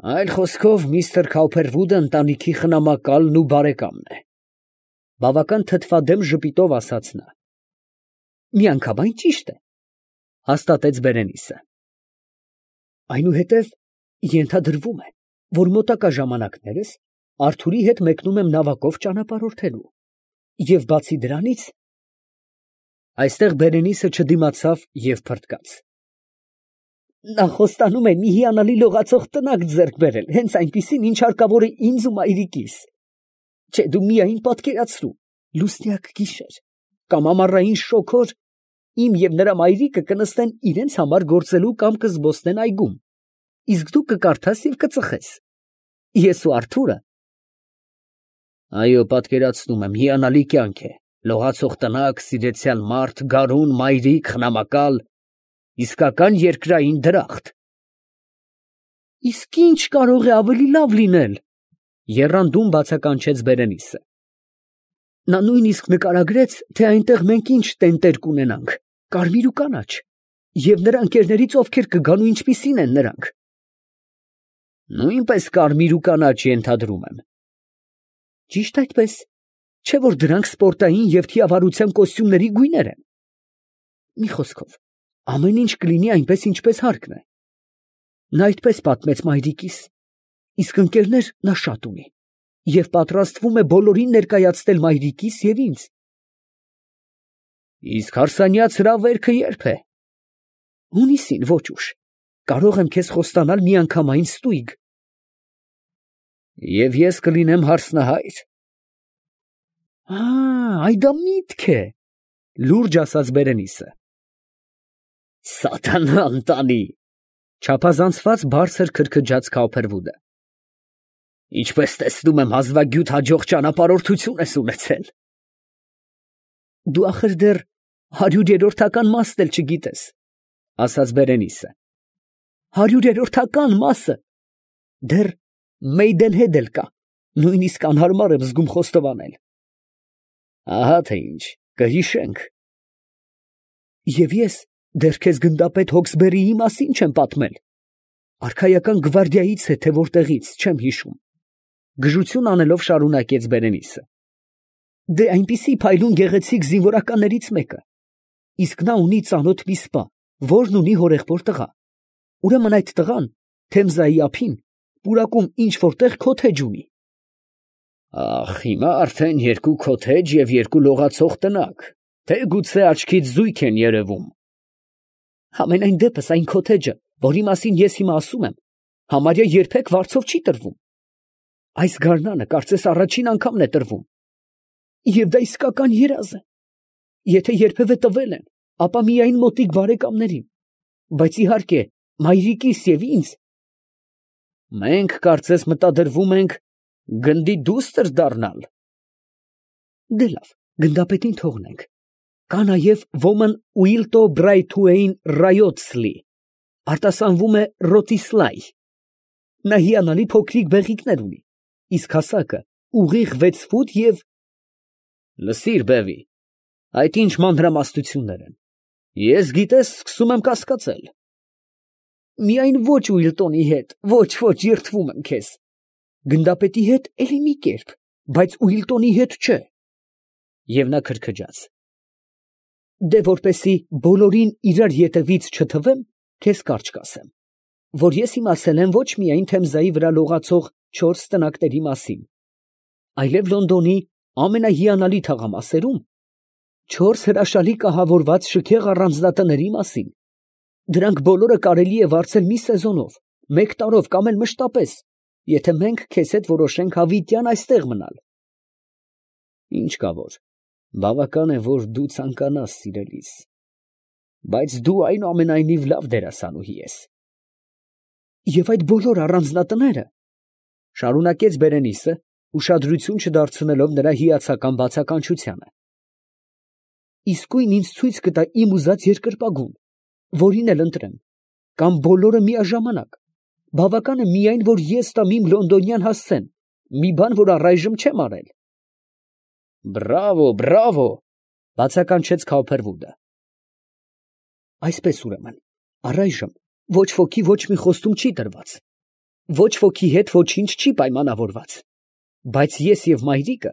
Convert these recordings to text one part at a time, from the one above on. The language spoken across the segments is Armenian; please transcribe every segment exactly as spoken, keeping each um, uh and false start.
Այլ խոսքով միստր Քոուփերվուդը ընտանիքի խնամակալն ու բարեկամն է, բավական թթվադեմ ժպիտով ասաց նա։ Միանգամայն ճիշտ է, հաստատեց Բերենիսը։ Այնուհետև ենթադրվում է, որ մոտակա ժամանակներս Արթուրի հետ մեկնում եմ նավակով ճանապարհորդելու, և բացի դրանից… Այստեղ Բերենիսը չդիմացավ և փռթկաց։ Նա խոստանում է մի հիանալի լողացող տնակ ձեռք բերել, հենց այնպիսին, ինչ հարկավոր է ինձ ու մայրիկիս… Չէ, դու միայն պատկերացրու, լուսնյակ գիշեր կամ ամառային շոգոր իմ և նրա մայրիկը կնստեն իրանց համար գործելու կամ կզբոսնեն այգում, իսկ դու կկարդաս և կծխես… Ես ու Արթուրը… Այո, պատկերացնում եմ, հիանալի կյանք է, լողացող տնակ, սիրեցյալ մարդ, գարուն, մայրիկ, խնամակալ… Իսկական երկրային դրախտ… Իսկ ի՞նչ կարող է ավելի լավ լինել, եռանդում բացականչեց Բերենիսը։ Նա նույնիսկ նկարագրեց, թե այնտեղ մենք ինչ տենտեր կունենանք, կարմիր ու կանաչ, և նրա ընկերներից ովքեր կգան ու ինչպիսին են նրանք… Նույնպես կարմիր ու կանաչ, ենթադրում եմ… Ճիշտ այդպես, չէ՞ որ դրանք սպորտային և թիավարության կոստյումների գույներ են… Մի խոսքով, ամեն ինչ կլինի այնպես, ինչպես հարկն է… Նա այդպես պատմեց մայրիկիս, իսկ ընկերներ նա շատ ունի և պատրաստվում է բոլորին ներկայացնել մայրիկիս և ինձ… Իսկ հարսանյաց հրավերքը ե՞րբ է… Հունիսին, ոչ ուշ, կարող եմ քեզ խոստանալ միանգամայն ստույգ… Եվ ես կլինեմ հարսնահա՞յր… Ա՜, դա միտք է… լուրջ ասաց Բերենիսը։ Սատանա ընտանի… չափազանցված բարձր քրքջաց Քոուփերվուդը։ Ինչպես տեսնում եմ, հազվագյուտ հաջող ճանապարհորդություն ես ունեցել… Դու ախր դեռ հարյուրերորդական մասն էլ չգիտես, ասաց Բերենիսը։ Հարյուրերորդական մասը… Դեռ Մեյդենհեդ էլ կա, նույնիսկ անհարմար եմ զգում խոստովանել… Ահա թե ինչ, կհիշենք… Եվ ես դեռ քեզ գնդապետ Հոքսբերիի մասին չեմ պատմել… Արքայական գվարդիայից է, թե որտեղից, չեմ հիշում… Գժություն անելով շարունակեց Բերենիսը։ Դե այնպիսի փայլուն գեղեցիկ զինվորականներից մեկը… Իսկ նա ունի ծանոթ մի սպա, որն ունի հորեղբոր տղա… Ուրեմն այդ տղան Թեմզայի ափին, պուրակում ինչ֊որ տեղ քոթեջ ունի… Ախ, հիմա արդեն երկու քոթեջ և երկու լողացող տնակ… Թե գուցե աչքիդ զույգ են երևում… Համենայն դեպս այն քոթեջը, որի մասին ես հիմա ասում եմ, համարյա երբեք վարձով չի տրվում… Այս գարնանը կարծես առաջին անգամն է տրվում… Եվ դա իսկական երազ է… Եթե երբևէ տվել են, ապա միայն մոտիկ բարեկամներին… Բայց իհարկե մայրիկիս և ինձ… Մենք կարծես մտադրվում ենք գնդի դուստր դառնալ… Դե լավ, գնդապետին թողնենք… Կա նաև ոմն Ուիլտո Բրայթուեյն Ռայոտսլի, արտասանվում է Ռոտիսլայ… Նա հիանալի փոքրիկ բեղիկներ ունի, իսկ հասակը ուղիղ վեց ֆուտ և… Լսիր, բևի, այդ ի՞նչ մանրամասնություններ են… Ես, գիտես, սկսում եմ կասկածել… Միայն ոչ Ուիլտոնի հետ, ոչ, ոչ, երդվում եմ քեզ… Գնդապետի հետ էլի մի կերպ, բայց Ուիլտոնի հետ չէ… Եվ նա քրքջաց… Դե որպեսզի բոլորին իրար ետևից չթվեմ, քեզ կարճ կասեմ, որ ես իմացել եմ ոչ միայն Թեմզայի վրա լողացող չորս տնակների մասին, այլև Լոնդոնի ամենահիանալի թաղամասերում չորս հրաշալի կահավորված շքեղ առանձնատների մասին… Դրանք բոլորը կարելի է վարձել մի սեզոնով, մեկ տարով կամ էլ մշտապես, եթե մենք քեզ հետ որոշենք հավիտյան այստեղ մնալ… Ինչ կա որ, բավական է, որ դու ցանկանաս, սիրելիս… Բայց դու այնուամենայնիվ լավ դերասանուհի ես… Եվ այդ բոլոր առանձնատները… շարունակեց Բերենիսը, ուշադրություն չդարձնելով նրա հիացական բացականչությանը… Իսկույն ինձ ցույց կտա իմ ուզած երկրպագուն, որին էլ ընտրեմ, կամ բոլորը միաժամանակ… Բավական է միայն, որ ես տամ իմ լոնդոնյան հասցեն, մի բան, որ առայժմ չեմ արել… Բրավո, բրավո… բացականչեց Քոուփերվուդը… Այսպես ուրեմն, առայժմ ոչ ոքի ոչ մի խոստում չի տրված, ոչ ոքի հետ ոչինչ չի պայմանավորված, բայց ես և մայրիկը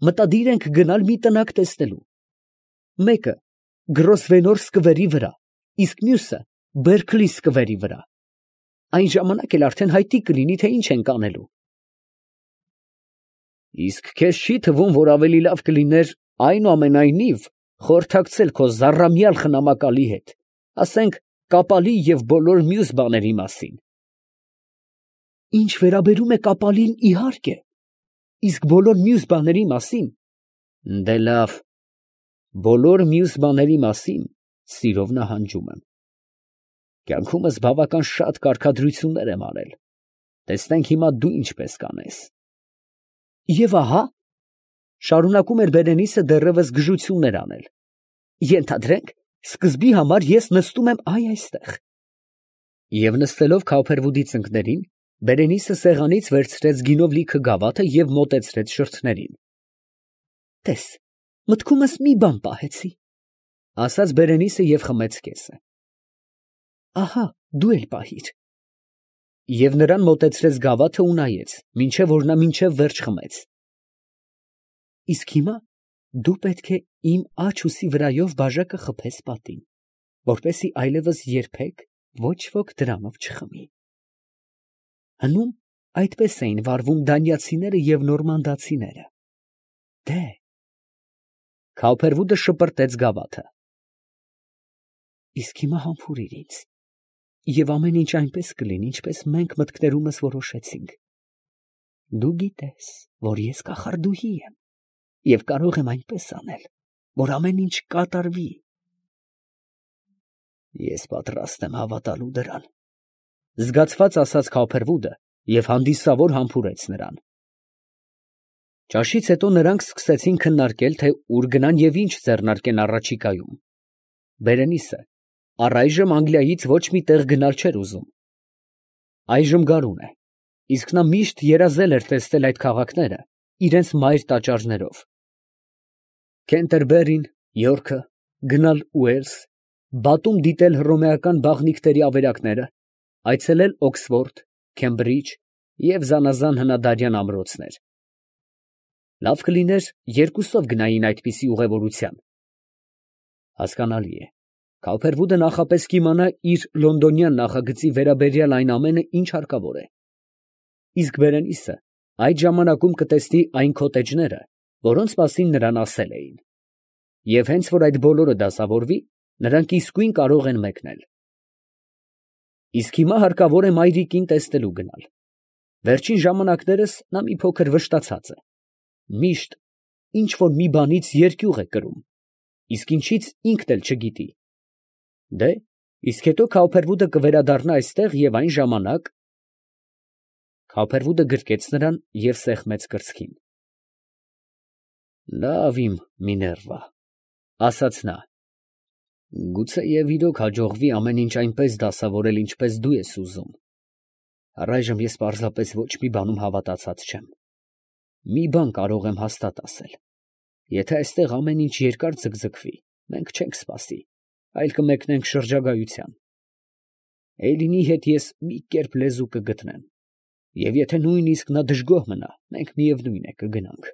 մտադիր ենք գնալ մի տնակ տեսնելու. մեկը Գրոսվենոր սկվերի վրա, իսկ մյուսը Բերքլի սկվերի վրա. այն ժամանակ էլ արդեն հայտնի կլինի, թե ինչ ենք անելու։ Իսկ քեզ չի թվում, որ ավելի լավ կլիներ այնուամենայնիվ խորհրդակցել քո զառամյալ խնամակալի հետ, ասենք կապալի և բոլոր մյուս բաների մասին։ Ինչ վերաբերում է կապալին, իհարկե, իսկ բոլոր մյուս բաների մասին, դե լավ, բոլոր մյուս բաների մասին սիրով նահանջում եմ։ Կյանքումս բավական շատ կարգադրություններ եմ արել, տեսնենք հիմա դու ինչպես կանես։ Եվ ահա, շարունակում էր Բերենիսը դեռևս գժություններ անել, ենթադրենք, սկզբի համար ես նստում եմ այ այստեղ։ Եվ նստելով Քավփերվուդի ծնկներին, Բերենիսը սեղանից վերցրեց գինով լիքը գավաթը և մոտեցրեց շրթներին։ Տես, մտքումս մի բան պահեցի, ասաց Բերենիսը և խմեց կեսը։ Ահա, դու էլ պահիր։ Եվ նրան մոտեցրեց գավաթը ու նայեց, մինչև որ նա մինչև վերջ խմեց։ Իսկ հիմա դու պետք է իմ աջ ուսի վրայով բաժակը խփես պատին, որպեսզի այլևս երբեք ոչ ոք դրանով չխմի։ Հնում այդպես էին վարվում դանիացիները և նորմանդացիները։ Դե… Քավփերվուդը շպրտեց գավաթը։ Իսկ հիմա համբուրիր ինձ, և ամեն ինչ այնպես կլինի, ինչպես մենք մտքներումս որոշեցինք։ Դու գիտես, որ ես կախարդուհի եմ, և կարող եմ այնպես անել, որ ամեն ինչ կատարվի։ Ես պատրաստ եմ հավատալու դրան, զգացված ասաց Քավփերվուդը և հանդիսավոր համբուրեց նրան։ Ճաշից հետո նրանք սկսեցին քննարկել, թե ուր գնան և ինչ ձեռնարկեն առաջիկայում։ Բերենիսը առայժմ Անգլիայից ոչ մի տեղ գնալ չէր ուզում։ Այժմ գարուն է, իսկ նա միշտ երազել էր տեսնել այդ քաղաքները իրենց մայր տաճարներով. Քենտերբերին, Յորքը, գնալ Ուելս, բատում դիտել հռոմեական բաղնիքների ավերակները, այցելել Օքսֆորդ, Քեմբրիջ և զանազան հնադարյան ամրոցներ։ Լավ կլիներ երկուսով գնային այդպիսի ուղևորության։ Հասկանալի է, Քավփերվուդը նախապես կիմանա իր լոնդոնյան նախագծի վերաբերյալ այն ամենը, ինչ հարկավոր է։ Իսկ Բերենիսը այդ ժամանակում կտեսնի այն քոտեջները, որոնց մասին նրան ասել էին։ Եվ հենց որ այդ բոլորը դասավորվի, նրանք իսկույն կարող են մեկնել։ Իսկ հիմա հարկավոր է մայրիկին տեսնելու գնալ։ Վերջին ժամանակներս նա մի փոքր վշտացած է։ Միշտ ինչ որ մի բանից երկյուղ է կրում, իսկ ինչից ինքն էլ չգիտի։ Դե, իսկ հետո Քավփերվուդը կվերադառնա այստեղ և այն ժամանակ… Քավփերվուդը գրկեց նրան և սեղմեց կրծքին։ Լավ, իմ Միներվա, ասաց նա, գուցեև իրոք հաջողվի ամեն ինչ այնպես դասավորել, ինչպես դու ես ուզում։ Առայժմ ես պարզապես ոչ մի բանում հավատացած չեմ։ Մի բան կարող եմ հաստատ ասել. եթե այստեղ ամեն ինչ երկար ձգձգվի, մենք չենք սպասի, այլ կմեկնենք շրջագայության։ Էյլինի հետ ես մի կերպ լեզու կգտնեմ, և եթե նույնիսկ նա դժգոհ մնա, մենք միևնույն է կգնանք։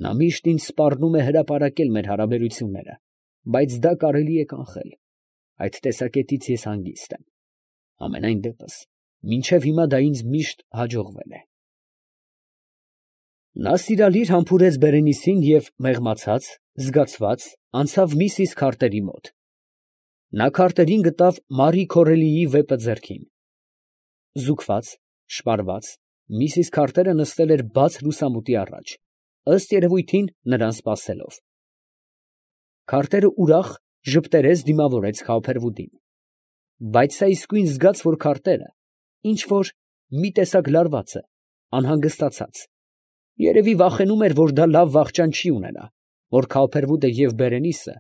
Նա միշտ ինձ սպառնում է հրապարակել մեր հարաբերությունները, բայց դա կարելի է կանխել։ Այդ տեսակետից ես հանգիստ եմ։ Համենայն դեպս, մինչև հիմա դա ինձ միշտ հաջողվել է։ Նա սիրալիր համբուրեց Բերենիսին և մեղմացած, զգացված անցավ միսիս Քարտերի մոտ։ Նա քարտերին գտավ Մարի Քորելիի վեպը ձեռքին։ Զուգված, շպարված, միսիս Քարտերը նստել էր բաց լուսամուտի առաջ, ըստ երևույթին նրան սպասելով։ Քարտերը ուրախ, ժպտերես դիմավորեց Քավփերվուդին։ Բայց սա իսկույն զգաց, որ Քարտերը ինչ որ մի տեսակ լարված է, անհանգստացած։ Երևի վախենում էր, որ դա լավ վախճան չի ունենա, որ Քավփերվուդը և Բերենիսը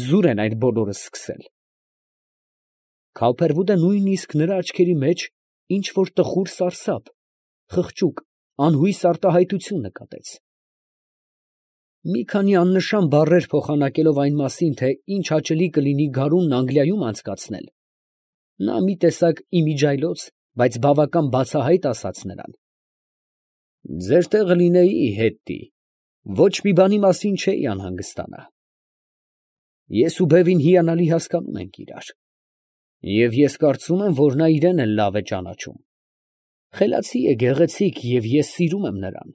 զուր են այդ բոլորը սկսել։ Քավփերվուդը նույնիսկ նրա աչքերի մեջ ինչ որ տխուր սարսափ, խղճուկ, անհույս արտահայտություն նկատեց։ Մի քանի աննշան բառեր փոխանակելով այն մասին, թե ինչ հաճելի կլինի գարունն Անգլիայում անցկացնել, նա մի տեսակ իմիջիայլոց, բայց բավական բացահայտ ասաց նրան. «Ձեր տեղը լինեի, հետտի, ոչ մի բանի մասին չէի անհանգստանա։ Ես ու Բևին հիանալի հասկանում ենք իրար, և ես կարծում եմ, որ նա իրեն էլ լավ է ճանաչում։ Խելացի է, գեղեցիկ, և ես սիրում եմ նրան։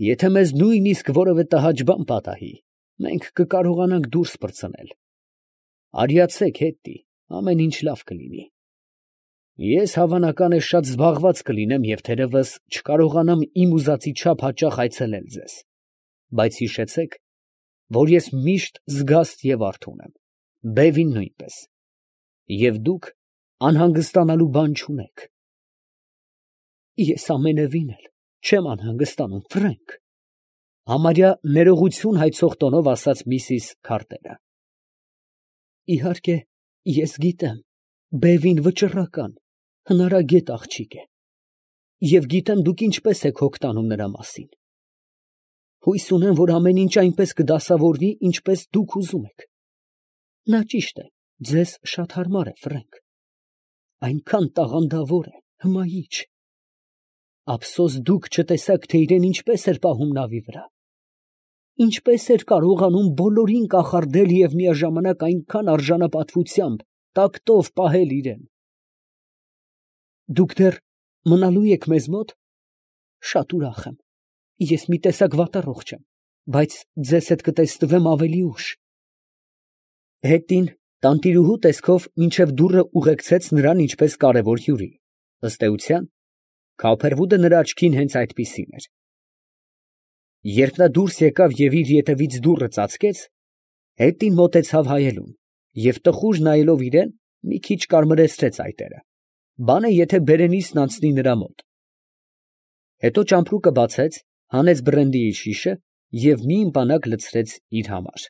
Եթե մեզ նույնիսկ որևէ տհաճ բան պատահի, մենք կկարողանանք դուրս պրծնել։ Արյացեք, հետտի, ամեն ինչ լավ կլինի։ Ես հավանական է շատ զբաղված կլինեմ և թերևս չկարողանամ իմ ուզածի չափ հաճախ այցելել ձեզ, բայց հիշեցեք, որ ես միշտ զգաստ և արթուն եմ, Բևին նույնպես, և դուք անհանգստանալու բան չունեք»։ «Ես ամենևին էլ չեմ անհանգստանում, Ֆրենք, ֊ համարյա ներողություն հայցող տոնով ասաց միսիս Քարտերը։ ֊ Իհարկե, ես գիտեմ, Բևին վճռական, հնարագետ աղջիկ է, և գիտեմ դուք ինչպես եք հոգ տանում նրա մասին։ Հույս ունեմ, որ ամեն ինչ այնպես կդասավորվի, ինչպես դուք ուզում եք։ Նա ճիշտ է, ձեզ շատ հարմար է, Ֆրենք, այնքան տաղանդավոր է, հմայիչ։ Ափսոս դուք չտեսաք, թե իրեն ինչպես էր պահում նավի վրա, ինչպես էր կարողանում բոլորին կախարդել և միաժամանակ այնքան արժանապատվությամբ, տակտով պահել իրեն։ Դուք դեռ մնալո՞ւ եք մեզ մոտ։ Շատ ուրախ եմ, ես մի տեսակ վատառողջ եմ, բայց ձեզ հետ կտսնվեմ ավելի ուշ։ Հետտին տանտիրուհու տեսքով մինչև դուռը ուղեկցեց նրան ինչպես կարևոր հյուրի, ըստ էության, Քոփերվուդը նրա աչքին հենց այդպիսին էր։ Երբ նա դուրս եկավ և իր ետևից դուռը ծածկեց, հետտին մոտեցավ հայելուն և տխուր նայելով իրան, մի քիչ կարմրեցրեց այտերը, բան է, եթե բերենիցն անցնի նրա մոտ։ Հետո ճամպրուկը բացեց, հանեց բրենդիի շիշը և մի ըմպանակ լցրեց իր համար։